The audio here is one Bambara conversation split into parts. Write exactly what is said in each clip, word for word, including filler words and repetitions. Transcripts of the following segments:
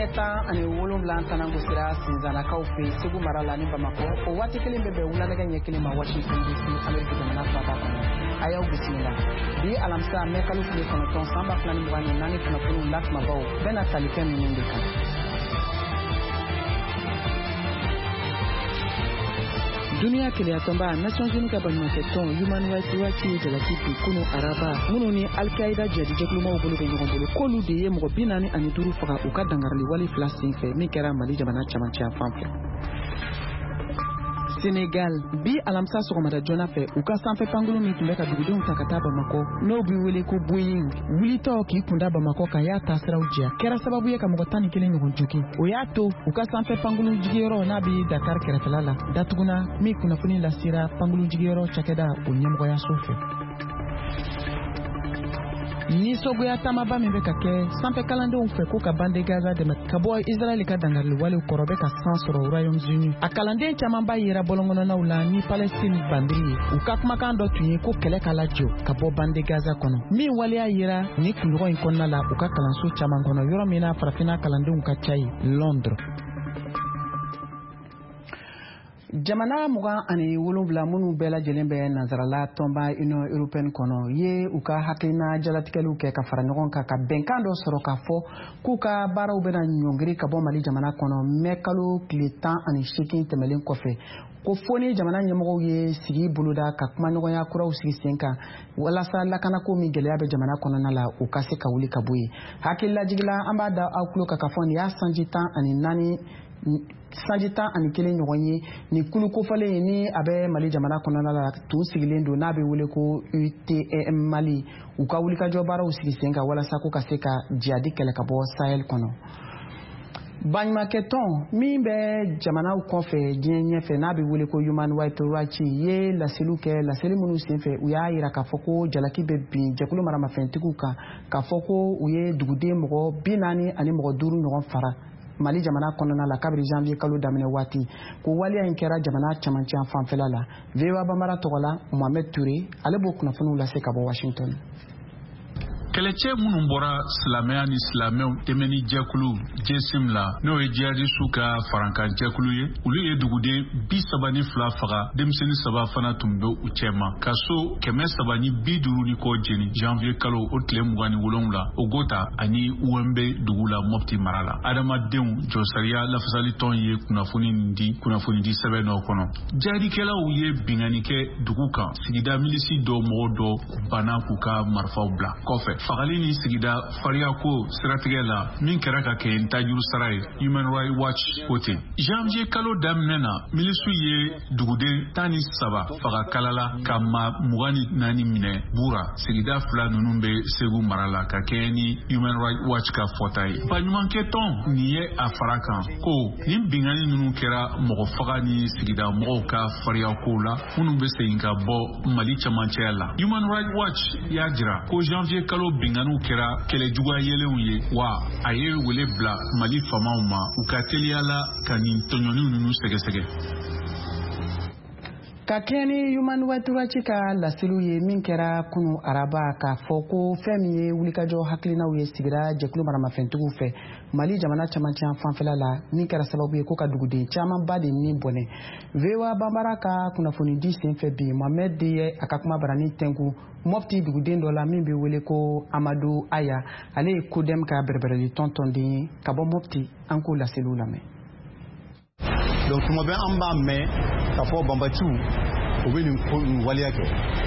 Nɛgɛ ɲɛ tan ani wolonwula tanangosira Sinzanakaw fɛ Segu mara la ni Bamakɔ, o waati kelen bɛ bɛn wula nɛgɛ ɲɛ kelen ma Washington D C, Ameriki jamana faaba kɔnɔ. A y'aw bisimila bi alamisa mɛ kalo tile kɔnɔntɔn san ba fila ni mugan ni naani kunnafoniw la kumabaw bɛna tali kɛ ninnu de kan. Duniya keleyatɔnba Nations Unies ka baɲumankɛtɔn Human Rights Watch ye jalaki bi kunu araba minnu ni Al-Qaïda jihadijɛkulumaw bolo bɛ ɲɔgɔn bolo, k'olu de ye mɔgɔ bi naani ani duuru faga u ka dangarili wale fila senfɛ min kɛra Mali jamana camancɛ fan fɛ. Senegal, bi alamisa sɔgɔmada joona fɛ, u ka sanfɛ pankurun min tun bɛ ka dugudenw ta ka taa Bamakɔ, n'o bɛ wele ko Boeing, wulitɔ k'i kunda Bamakɔ kan, y'a taasiraw jɛ, kɛra sababu ye ka mɔgɔ tan ni kelen ɲɔgɔn jogin. O y'a to u ka sanfɛ pankurun jigiyɔrɔ n'a bɛ Dakar kɛrɛfɛla la datuguna, min kunnafoni lasera pankurun jigiyɔrɔ cakɛda o ɲɛmɔgɔyaso fɛ. Nisɔngoya taamaba min bɛ ka kɛ sanfɛ kalandenw fɛ ko ka bande Gaza dɛmɛ ka bɔ Israɛl ka dangarili walew kɔrɔ bɛ ka san sɔrɔ Royaume-Uni. A kalanden camanba yera bɔlɔnkɔnɔnaw la ni Palestine bandiri ye. U ka kumakan dɔ tun ye ko kɛlɛ ka lajɔ ka bɔ bande Gaza kɔnɔ, min waleya yera ni kunɲɔgɔn in kɔnɔna la u ka kalanso caman kɔnɔ, yɔrɔ min na farafinna kalandenw ka ca ye, Londres. Jamana mugan ani wolonwula minnu bɛɛ lajɛlen bɛ nansarala tɔnba Union européenne kɔnɔ ye u ka hakilina jalatigɛliw kɛ ka fara ɲɔgɔn kan ka bɛnkan dɔ sɔrɔ k'a fɔ k'u ka baaraw bɛna ɲɔngiri ka bɔ Mali jamana kɔnɔ mɛ kalo tile tan ani seegin tɛmɛlen kɔfɛ, ko fo ni jamana ɲɛmɔgɔw ye sigi boloda ka kumaɲɔgɔnya kuraw sigi sen kan walasa lakanako min gɛlɛya bɛ jamana kɔnɔna la, u ka se ka wuli ka bɔ yen. Hakililajigila, an b'a da aw tulo kan k'a fɔ nin y'a sanji tan ani naani sanji tan ani kelen ɲɔgɔn ye nin kulu kofɔlen ni a bɛ Mali jamana kɔnɔna la tun sigilen don, n'a bɛ wele ko U T M Mali, u ka wulikajɔ baaraw sigi sen kan walasa ko ka se ka jihadi kɛlɛ ka bɔ Sahel kɔnɔ. Baɲumankɛtɔn min bɛ jamanaw kɔfɛ diɲɛ ɲɛfɛ n'a bɛ wele ko Human Rights Watch ye laseliw kɛ, laseli minnu senfɛ u y'a yira k'a fɔ ko jalaki bɛ bin jɛkulu maramafɛntigiw kan, k'a fɔ ko u ye duguden mɔgɔ bi naani ani mɔgɔ duuru ɲɔgɔn fara Mali jamana kɔnɔna la kabiri janvier kalo daminɛ waati, ko waleya in kɛra jamana camancɛ fanfɛla la. V O A Bambara tɔgɔ la, Mohamed Touré ale b'o kunnafoniw lase ka bɔ Washington. Kɛlɛcɛ minnu bɔra silamɛya ni silamɛw dɛmɛni jɛkulu J S M la, n'o ye jihadisiw ka farankan jɛkulu ye, olu ye duguden bi saba ni fila faga, denmisɛnnin saba fana tun bɛ u cɛma, ka so kɛmɛ saba ni bi duuru ni kɔ jeni janvier kalo o tile mugan ni wolonwula Ogota ani U M B dugu la Mopti mara la. Adamadenw jɔsariya lafasalitɔn ye kunnafoni nin di kunnafonidi sɛbɛn dɔ kɔnɔ. Jihadikɛlaw ye binkanni kɛ dugu kan, sigida milisi dɔw mɔgɔ dɔ banna k'u ka marifaw bila kɔfɛ. Fagali ni sigida fariyako siratigɛ la min kɛra ka kɛ ntajuru sara ye, Human Rights Watch ko ten. Janvier kalo daminɛ na, milisiw ye duguden tan ni saba faga Kalala ka maa mugan ni naani minɛ Bura. Sigida fila ninnu bɛ Segu mara la ka kɛɲɛ ni Human Rights Watch ka fɔta ye. Baɲumankɛtɔn nin ye a fara kan ko nin binkanni ninnu kɛra mɔgɔ faga ni sigida mɔgɔw ka fariyakow la minnu bɛ segin ka bɔ Mali camancɛya la. Human Rights Watch y'a jira ko janvier kalo binkanniw kɛra kɛlɛ juguya yelenw ye, wa a ye wele bila Mali faamaw ma u ka teliya la ka nin tɔɲɔni ninnu sɛgɛsɛgɛ. Ka kɛɲɛ ni Human Rights Watch ka laseliw ye min kɛra kunu araba, k'a fɔ ko fɛn min ye wulikajɔ hakilinaw ye sigira jɛkulu maramafɛntigiw fɛ Mali jamana camancɛ fanfɛla la, min kɛra sababu ye ko ka duguden camanba de ni bɔnɛ. V O A Bambara ka kunnafonidi senfɛ bi, Mohamed de ye a ka kuma barani tɛnku Mopti duguden dɔ la min bɛ wele ko Amadu Aya, ale ye CODEM ka bɛrɛbɛrɛli tɔn tɔnden ye ka bɔ Mopti. An k'o laseliw lamɛn. Donc tuma bɛɛ an b'a mɛn k'a fɔ banbatiw u bɛ nin ko nin waleya kɛ.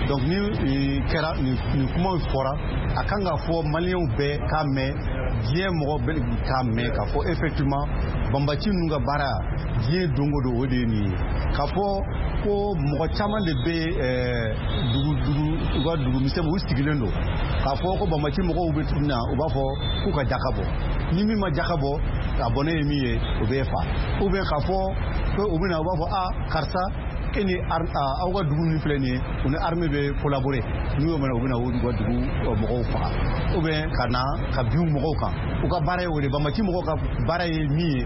Donc ni kɛra nin kumaw fɔra, a kan ka fɔ maliyɛnw bɛɛ k'a mɛn, diɲɛ mɔgɔ bɛɛ k'a mɛn k'a fɔ effectivement banbati ninnu ka baara diɲɛ don o don o de ye nin ye. K'a fɔ ko mɔgɔ caman de bɛ dugu dugu u ka dugu misɛnw u sigilen don k'a fɔ ko banbati mɔgɔw bɛ na, u b'a fɔ k'u ka jaka bɔ, ni min ma jaka bɔ a bɔnɛ ye min ye o bɛ fa, ou bien k'a fɔ ko u bɛ na u b'a fɔ a karisa e ni aw ka dugu min filɛ nin ye, u ni armée bɛ collaborer, n'u y'o minɛ u bɛ na u ka dugu mɔgɔw faga ou bien ka na ka bin mɔgɔw kan. U ka baara ye o de. Banbaci mɔgɔw ka baara ye min ye,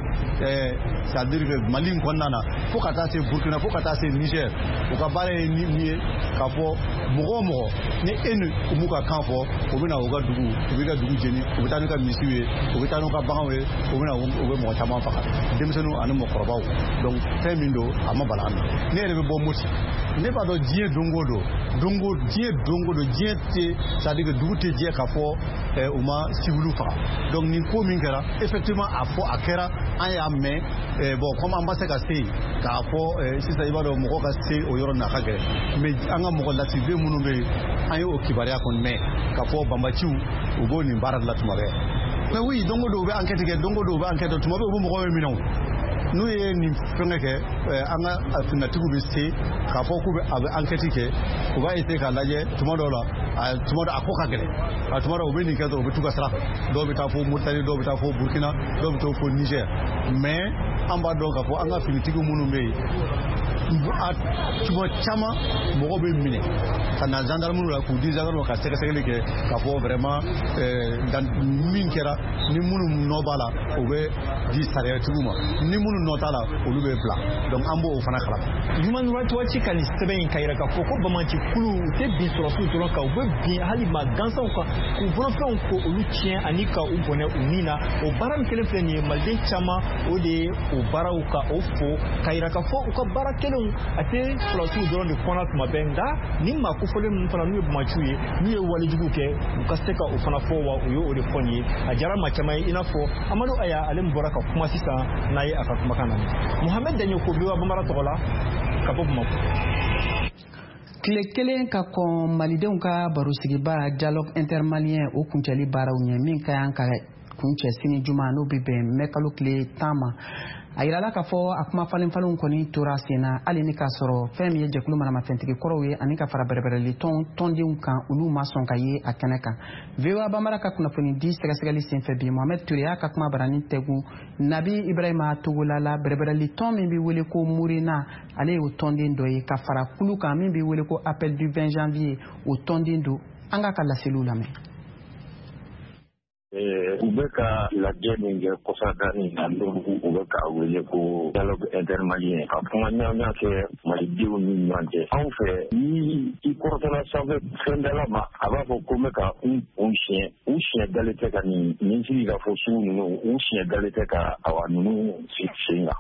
c'est à dire que Mali in kɔnɔna na, fo ka taa se Burkina, fo ka taa se Niger, u ka baara ye min ye k'a fɔ mɔgɔ o mɔgɔ ni e ni u m'u ka kan fɔ, u bɛ na u ka dugu, u b'i ka dugu jeni, u bɛ taa n'u ka misiw ye, u bɛ taa n'u ka baganw ye, u bɛ na u bɛ mɔgɔ caman faga, denmisɛnninw ani mɔgɔkɔrɔbaw. Donc fɛn min don, a ma bala an na. Ne yɛrɛ bɛ bɔ Moti, ne b'a dɔn diɲɛ don o don, don o diɲɛ don o don, diɲɛ tɛ, c'est à dire que dugu tɛ jɛ k'a fɔ u ma civiliw faga. Donc nin ko min kɛra, effectivement a fɔ a kɛra, an y'a mɛn. Bon, comme an ma se ka se yen k'a fɔ sisan, i b'a dɔn mɔgɔ ka se o yɔrɔ na ka gɛlɛn, mais an ka mɔgɔ lasirilen minnu bɛ yen, an ye o kibaruya kɔni mɛn k'a fɔ banbaciw u b'o nin baara de la tuma bɛɛ. Mais oui, don o don u bɛ enquête kɛ, don o don u bɛ enquête kɛ, tuma bɛɛ u bɛ mɔgɔw minɛ. O n'u ye nin fɛngɛ kɛ, an ka finitigiw bɛ se k'a fɔ k'u bɛ a bɛ enquête kɛ, u b'a essayer k'a lajɛ. Tuma dɔw la, a tuma dɔ a ko ka gɛlɛn, a tuma dɔw u bɛ nin kɛ dɔrɔn, u bɛ t'u ka sira fɛ. Dɔw bɛ taa fo Mauritanie, dɔw bɛ taa fo Burkina, dɔw bɛ taa fo Niger. Mais an b'a dɔn k'a fɔ an ka finitigiw minnu bɛ yen, a tuma caman mɔgɔ bɛ minɛ ka na gendarmerie la k'u di gendarme ka sɛgɛsɛgɛli kɛ k'a fɔ vraiment min kɛra, ni minnu nɔ b'a la, o bɛ di sariyatigiw ma, ni minnu nɔ t'a la, olu bɛ bila. Donc an b'o fana kalama. Human Rights Watch ka nin sɛbɛn in ka yira k'a fɔ ko banbaanci kulu u tɛ bin sɔrɔsiw dɔrɔn kan, u bɛ bin hali maa gansanw kan k'u bolofɛnw ko olu tiɲɛ ani ka u bɔnɛ u ni na. O baara min kelen filɛ nin ye, maliden caman o de ye o baaraw ka o fo ka yira k'a fɔ u ka baara kelenw a tɛ sɔrɔsiw dɔrɔn de kɔnɔ tuma bɛɛ, nka ni maa kofɔlen ninnu fana n'u ye banbaanciw ye, n'u ye walejugu kɛ, u ka se ka o fana fɔ. Wa u ye o de fɔ nin ye, a diyara maa caman ye, i n'a fɔ Amadu Aya, ale min bɔra ka kuma sisan n'a ye a ka kumakan lamɛn. Mohamed Daɲoko, V O A Bambara tɔgɔ la ka bɔ Bamakɔ. Tile kelen ka kɔn malidenw ka barosigiba dialogue intermalien o kuncɛli baaraw ɲɛ, min ka kan ka kuncɛ sini juma, n'o bɛ bɛn mɛkalo tile tan ma, a yirala k'a fɔ a kuma falen falenw kɔni tora sen na, hali ni k'a sɔrɔ fɛn min ye jɛkulu manamafɛntigi kɔrɔw ye ani ka fara bɛrɛbɛrɛli tɔn tɔndenw kan, olu ma sɔn ka ye a kɛnɛ kan. V O A Bambara ka kunnafoni di sɛgɛsɛgɛli senfɛ bi, Mohamed Touré y'a ka kuma barani tɛgun Nabi Ibrahima Togola la, bɛrɛbɛrɛli tɔn min bɛ wele ko Murena, ale y'o tɔnden dɔ ye, ka fara kulu kan min bɛ wele ko Appel du vingt janvier, o tɔnden don. An k'a ka laseliw lamɛn. U bɛ ka lajɛ min kɛ kɔsadani na, n'u u bɛ k'a wele ko dialogue intermalien, ka kuma ɲɔgɔnya kɛ malidenw ni ɲɔgɔn cɛ. Anw fɛ, ni i kɔrɔtɔla sanfɛ fɛndala ma, a b'a fɔ ko n bɛ ka n kun siɲɛ, u siɲɛ dalen tɛ ka nin nin sigi ka fɔ sugu ninnu, u siɲɛ dalen tɛ ka awa ninnu sigi sen kan.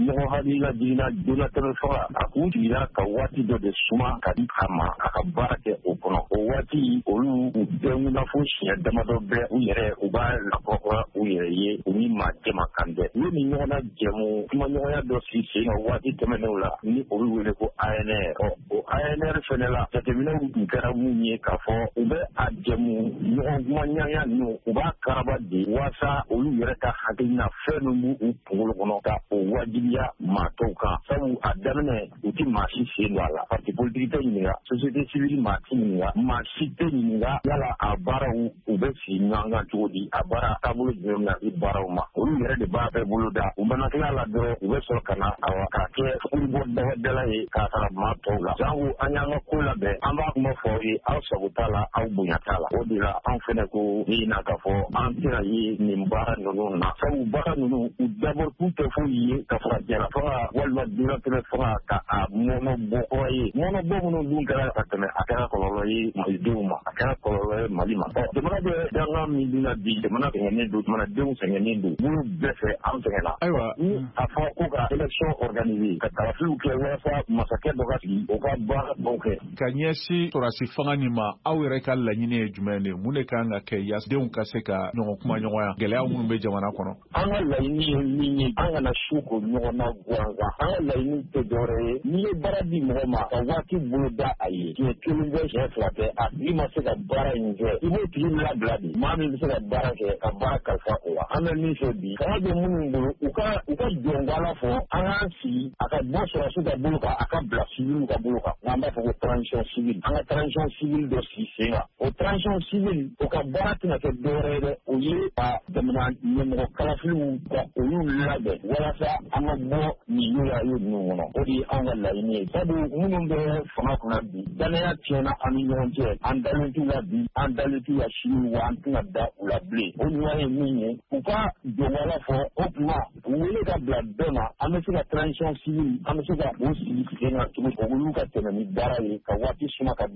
Mɔgɔ hakilila jiginna donatɛmɛ faga, a kun sigira ka waati dɔ de suma ka di a ma a ka baara kɛ o kɔnɔ. O waati olu u bɛɛ fo siɲɛ damadɔ bɛɛ u yɛrɛ u b'a lakɔrɔkɔrɔ u yɛrɛ ye, u ni maa jama kan dɛ. U ye nin ɲɔgɔnna jɛmu kumaɲɔgɔnya dɔ sigi sen kan waati tɛmɛnenw la, ni o bɛ wele ko A N R. Ɔ o A N R fɛnɛ la, jateminɛw tun kɛra mun ye k'a fɔ u bɛ a jɛmu ɲɔgɔn kumaɲɔgɔnya ninnu, u b'a karaba de waasa olu yɛrɛ ka hakilina fɛn min b'u kunkolo kɔnɔ ka o wajibiya maa tɔw kan. Sabu a daminɛ u ti maa si sen don a la, parti politique tɛ ɲininka, société civile maa ti ɲininka, maa si tɛ ɲininka yala a baaraw u bɛ sigi ɲɔgɔn kan cogo di, a baara taabolo jumɛn bɛna di baaraw ma. Olu yɛrɛ de b'a bɛɛ bolo da. U mana tila la dɔrɔn, u bɛ sɔrɔ ka na awa k'a kɛ furubɔ dala ye k'a fara maa tɔw la. Jango an y'an ka ko labɛn, an b'a kuma fɔ aw ye, aw sago t'a la, aw bonya t'a la. O de la anw fɛnɛ ko ni na k'a fɔ an tɛna ye nin baara ninnu na, sabu baara ninnu u dabɔ kun tɛ foyi ye ka fara jala faga walima dunatɛmɛ faga ka a mɔnɔ bɔ kura ye. Mɔnɔ bɔ minnu dun kɛra ka tɛmɛ, a kɛra kɔlɔlɔ ye malidenw ma, a kɛra kɔlɔlɔ ye Mali ma. Ɔ jamana bɛ dangan min dun na bi, jamana sɛgɛnnen don, jamanadenw sɛgɛnnen don, minnu bɛɛ fɛ an sɛgɛnna. Ayiwa, ni a fɔ ko ka élection organiser, ka kalafiliw kɛ walasa masakɛ dɔ ka sigi o ka baara dɔw kɛ. Ka ɲɛsin sɔrɔdasi fanga nin ma, aw yɛrɛ ka laɲini ye jumɛn de ye? Mun de kan ka kɛ yaasa denw ka se ka ɲɔgɔn kuma ɲɔgɔnya gɛlɛya minnu bɛ jamana kɔnɔ? An ka laɲini ye min ye, an kana su ko ɲɔgɔn na gansan. An ka laɲini tɛ dɔwɛrɛ ye, n'i ye baara di mɔgɔ ma ka waati bolo da a ye, siɲɛ kelen bɛ siɲɛ fila. fila tɛ, a tigi ma se ka baara in kɛ, i b'o tigi labila de. Maa min bɛ se ka baara kɛ, ka baara kalifa o la. An bɛ min fɛ bi, fanga bɛ minnu bolo, u ka u ka jɔnbala fɔ, an k'an sigi a ka bɔ sɔrɔdasiw ka bolo kan, a ka bila civil ka bolo kan. N'an b'a fɔ ko transition civile, an ka transition civile dɔ sigi sen kan. O transition civile, o ka baara tɛna kɛ dɔwɛrɛ ye dɛ, o ye ka jamana ɲɛmɔgɔ kalafiliw ka olu labɛn walasa an ka bɔ nin y'o ninnu kɔnɔ. O de ye anw ka laɲini ye. Sabu minnu bɛ fanga kunna bi, danaya tiɲɛna an ni ɲɔgɔn cɛ, an dalen t'u la bi, an dalen t'u la sini, wa an tɛna da u la bilen. O ɲuman ye min ye, u ka jɔnwala fɔ, o tuma u wele ka bila bɛɛ ma, an bɛ se ka transition civile, an bɛ se ka o sigi sen kan cogo olu ka tɛmɛ ni baara ye, ka waati suma ka